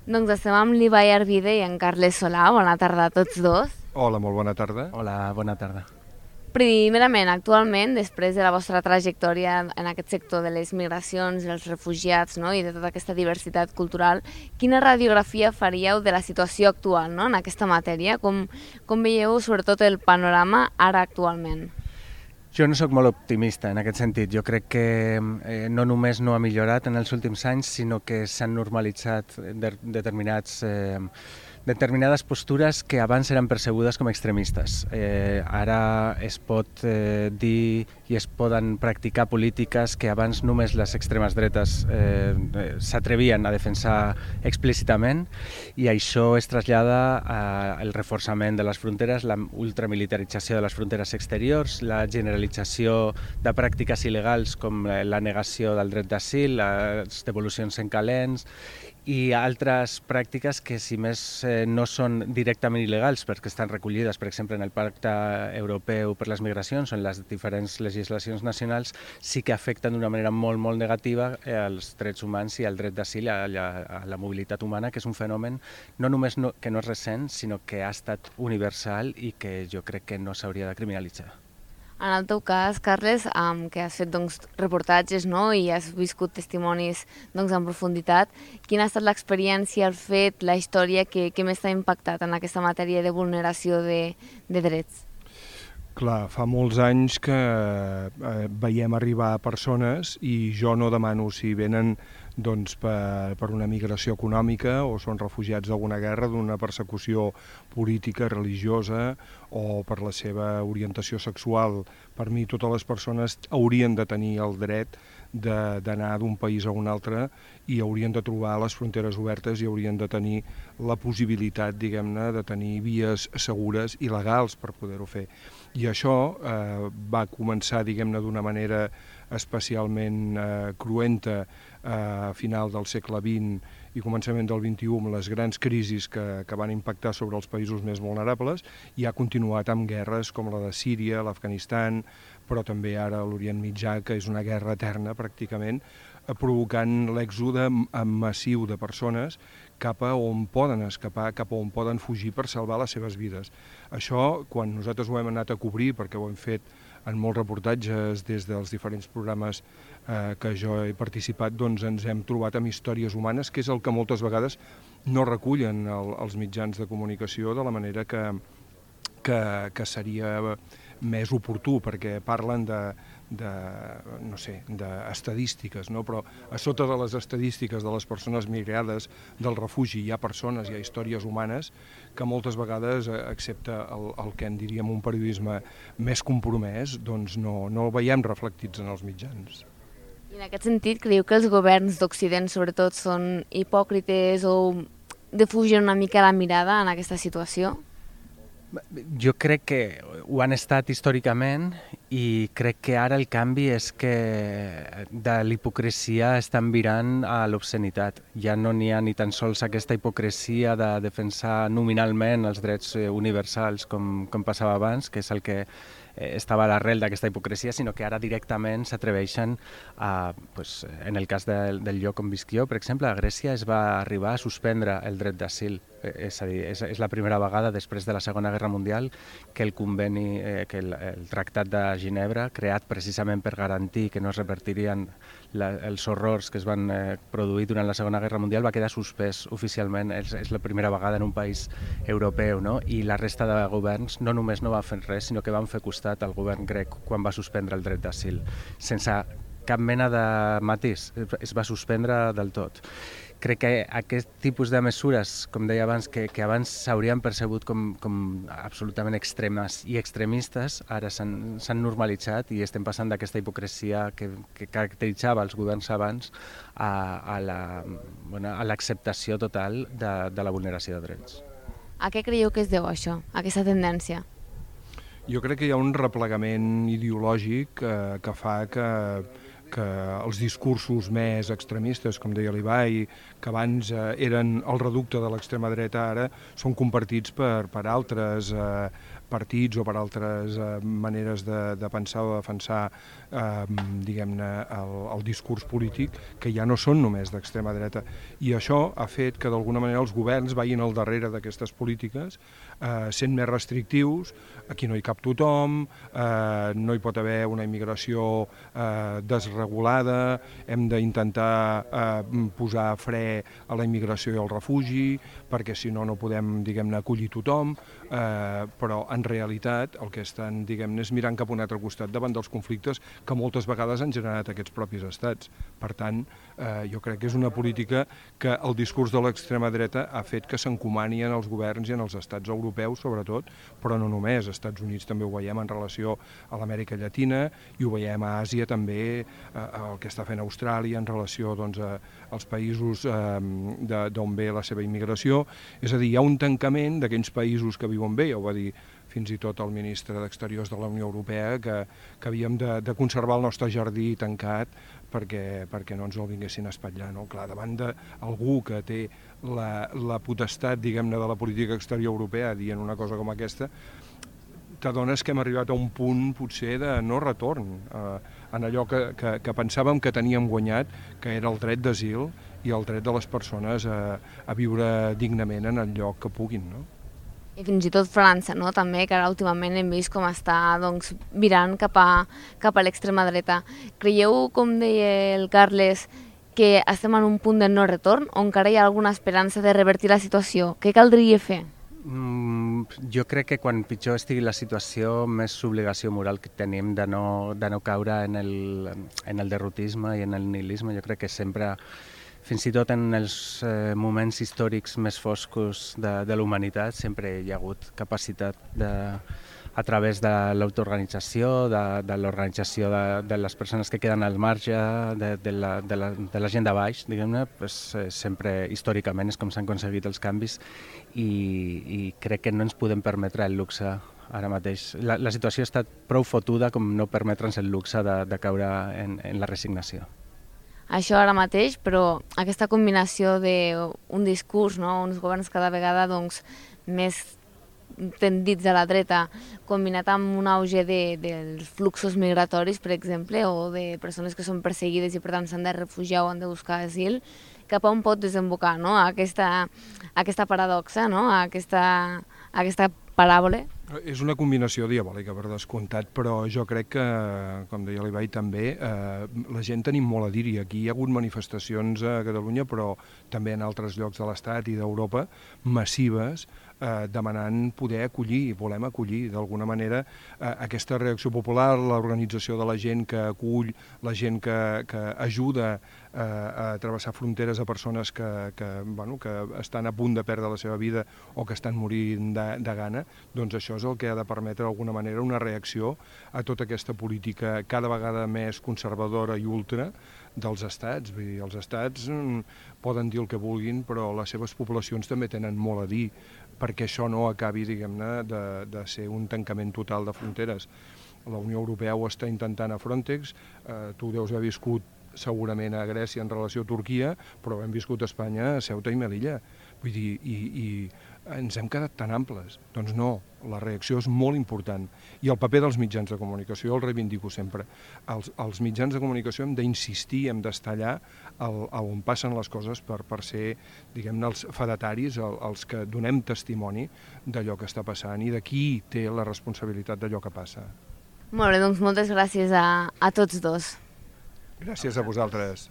Doncs estem amb l'Ibai Arvide i en Carles Solà. Bona tarda a tots dos. Hola, molt bona tarda. Hola, bona tarda. Primerament, actualment, després de la vostra trajectòria en aquest sector de les migracions, els refugiats, no? I de tota aquesta diversitat cultural, quina radiografia faríeu de la situació actual, no? En aquesta matèria? Com veieu sobretot el panorama ara actualment? Jo no sóc molt optimista en aquest sentit. Jo crec que no només no ha millorat en els últims anys, sinó que s'han normalitzat determinades postures que abans eren percebudes com extremistes. Ara es pot dir i es poden practicar polítiques que abans només les extremes dretes s'atrevien a defensar explícitament, i això es trasllada al reforçament de les fronteres, la ultramilitarització de les fronteres exteriors, la generalització de pràctiques il·legals com la negació del dret d'asil, les devolucions en calents i altres pràctiques que, si més no són directament il·legals perquè estan recollides, per exemple, en el Pacte Europeu per les Migracions o en les diferents legislacions nacionals, sí que afecten d'una manera molt, molt negativa els drets humans i el dret d'asil, a la mobilitat humana, que és un fenomen no només que no és recent, sinó que ha estat universal i que jo crec que no s'hauria de criminalitzar. En el teu cas, Carles, que has fet reportatges, no? I has viscut testimonis en profunditat, quina ha estat l'experiència, el fet, la història que més t'ha impactat en aquesta matèria de vulneració de drets? Clar, fa molts anys que veiem arribar persones i jo no demano si venen per una migració econòmica o són refugiats d'alguna guerra, d'una persecució política, religiosa o per la seva orientació sexual. Per mi totes les persones haurien de tenir el dret d'anar d'un país a un altre i haurien de trobar les fronteres obertes i haurien de tenir la possibilitat, diguem-ne, de tenir vies segures i legals per poder-ho fer. I això va començar, diguem-ne, d'una manera especialment cruenta a final del segle XX i començament del XXI, amb les grans crisis que van impactar sobre els països més vulnerables, i ha continuat amb guerres com la de Síria, l'Afganistan, però també ara l'Orient Mitjà, que és una guerra eterna pràcticament, provocant l'èxode massiu de persones cap a on poden escapar, cap a on poden fugir per salvar les seves vides. Això, quan nosaltres ho hem anat a cobrir, perquè ho hem fet en molts reportatges des dels diferents programes que jo he participat, doncs ens hem trobat amb històries humanes, que és el que moltes vegades no recullen els mitjans de comunicació de la manera que seria més oportú, perquè parlen d'estadístiques, no? Però a sota de les estadístiques de les persones migrades del refugi hi ha persones, hi ha històries humanes que moltes vegades, excepte el que en diríem un periodisme més compromès, doncs no el veiem reflectits en els mitjans. I en aquest sentit, creieu que els governs d'Occident sobretot són hipòcrites o defugen una mica la mirada en aquesta situació? Jo crec que ho han estat històricament i crec que ara el canvi és que de l'hipocresia estan virant a l'obscenitat. Ja no n'hi ha ni tan sols aquesta hipocresia de defensar nominalment els drets universals com passava abans, que és el que estava a l'arrel d'aquesta hipocresia, sinó que ara directament s'atreveixen a, en el cas del lloc on visc jo, per exemple, a Grècia es va arribar a suspendre el dret d'asil. És a dir, és la primera vegada després de la Segona Guerra Mundial que el conveni, que el Tractat de Ginebra, creat precisament per garantir que no es repetirien els horrors que es van produir durant la Segona Guerra Mundial, va quedar suspès oficialment. És la primera vegada en un país europeu, no? I la resta de governs no només no van fer res, sinó que van fer costat al govern grec quan va suspendre el dret d'asil, sense cap mena de matís, es va suspendre del tot. Crec que aquest tipus de mesures, com deia abans, que abans s'haurien percebut com absolutament extremes i extremistes, ara s'han normalitzat i estem passant d'aquesta hipocresia que caracteritzava els governs abans a l'acceptació total de la vulneració de drets. A què creieu que es deu això, aquesta tendència? Jo crec que hi ha un replegament ideològic que fa que els discursos més extremistes, com deia l'Ibai, que abans eren el reducte de l'extrema dreta, ara són compartits per altres partits o per altres maneres de pensar o de defensar diguem-ne el discurs polític, que ja no són només d'extrema dreta. I això ha fet que d'alguna manera els governs vagin al darrere d'aquestes polítiques, sent més restrictius. Aquí no hi cap tothom, no hi pot haver una immigració desregulada, hem d'intentar posar fre a la immigració i al refugi, perquè si no, no podem, diguem-ne, acollir tothom, però en realitat el que estan, diguem-ne, és mirant cap a un altre costat davant dels conflictes que moltes vegades han generat aquests propis estats. Per tant, jo crec que és una política que el discurs de l'extrema dreta ha fet que s'encomani en els governs i en els estats europeus, sobretot, però no només. Als Estats Units també ho veiem en relació a l'Amèrica Llatina i ho veiem a Àsia també, el que està fent Austràlia en relació doncs, als països d'on ve la seva immigració. És a dir, hi ha un tancament d'aquells països que viuen bé, ja ho va dir fins i tot el ministre d'Exteriors de la Unió Europea, que havíem de conservar el nostre jardí tancat perquè no ens el vinguessin a espatllar. No? Clar, davant d'algú que té la potestat, diguem-ne, de la política exterior europea dient una cosa com aquesta, t'adones que hem arribat a un punt potser de no retorn en allò que pensàvem que teníem guanyat, que era el dret d'asil i el dret de les persones a viure dignament en el lloc que puguin, no? I fins i tot França, no? També, que ara últimament hem vist com està doncs, virant cap a l'extrema dreta. Creieu, com deia el Carles, que estem en un punt de no retorn o encara hi ha alguna esperança de revertir la situació? Què caldria fer? Jo crec que quan pitjor estigui la situació, més obligació moral que tenim de no caure en el derrotisme i en el nihilisme. Jo crec que sempre, fins i tot en els moments històrics més foscos de la humanitat, sempre hi ha hagut capacitat a través de l'autoorganització, de l'organització de les persones que queden al marge, de la gent de baix, diguem-ne, sempre històricament és com s'han aconseguit els canvis i crec que no ens podem permetre el luxe ara mateix. La situació ha estat prou fotuda com no permetre'ns el luxe de caure en la resignació. Això ara mateix, però aquesta combinació d'un discurs, no? Uns governs cada vegada doncs, més tendits a la dreta, combinat amb un auge dels fluxos migratoris, per exemple, o de persones que són perseguides i per tant s'han de refugiar o han de buscar asil, cap a on pot desembocar, no? Aquesta paradoxa, no? aquesta paràbola. És una combinació diabòlica, per descomptat, però jo crec que, com deia l'Ibai també, la gent tenim molt a dir-hi. Aquí hi ha hagut manifestacions a Catalunya, però també en altres llocs de l'Estat i d'Europa, massives, demanant poder acollir, volem acollir d'alguna manera aquesta reacció popular, l'organització de la gent que acull, la gent que ajuda a travessar fronteres a persones que estan a punt de perdre la seva vida o que estan morint de gana, doncs això és el que ha de permetre d'alguna manera una reacció a tota aquesta política cada vegada més conservadora i ultra dels estats. Vull dir, els estats poden dir el que vulguin, però les seves poblacions també tenen molt a dir perquè això no acabi, diguem-ne, de ser un tancament total de fronteres. La Unió Europea ho està intentant a Frontex, tu deus haver viscut segurament a Grècia en relació a Turquia, però hem viscut a Espanya, a Ceuta i Melilla. Vull dir, i ens hem quedat tan amples. Doncs no, la reacció és molt important. I el paper dels mitjans de comunicació, el reivindico sempre. Els mitjans de comunicació hem d'insistir, hem d'estar allà on passen les coses per ser, diguem-ne, els fedataris, els que donem testimoni d'allò que està passant i de qui té la responsabilitat d'allò que passa. Molt bé, doncs moltes gràcies a tots dos. Gràcies a vosaltres.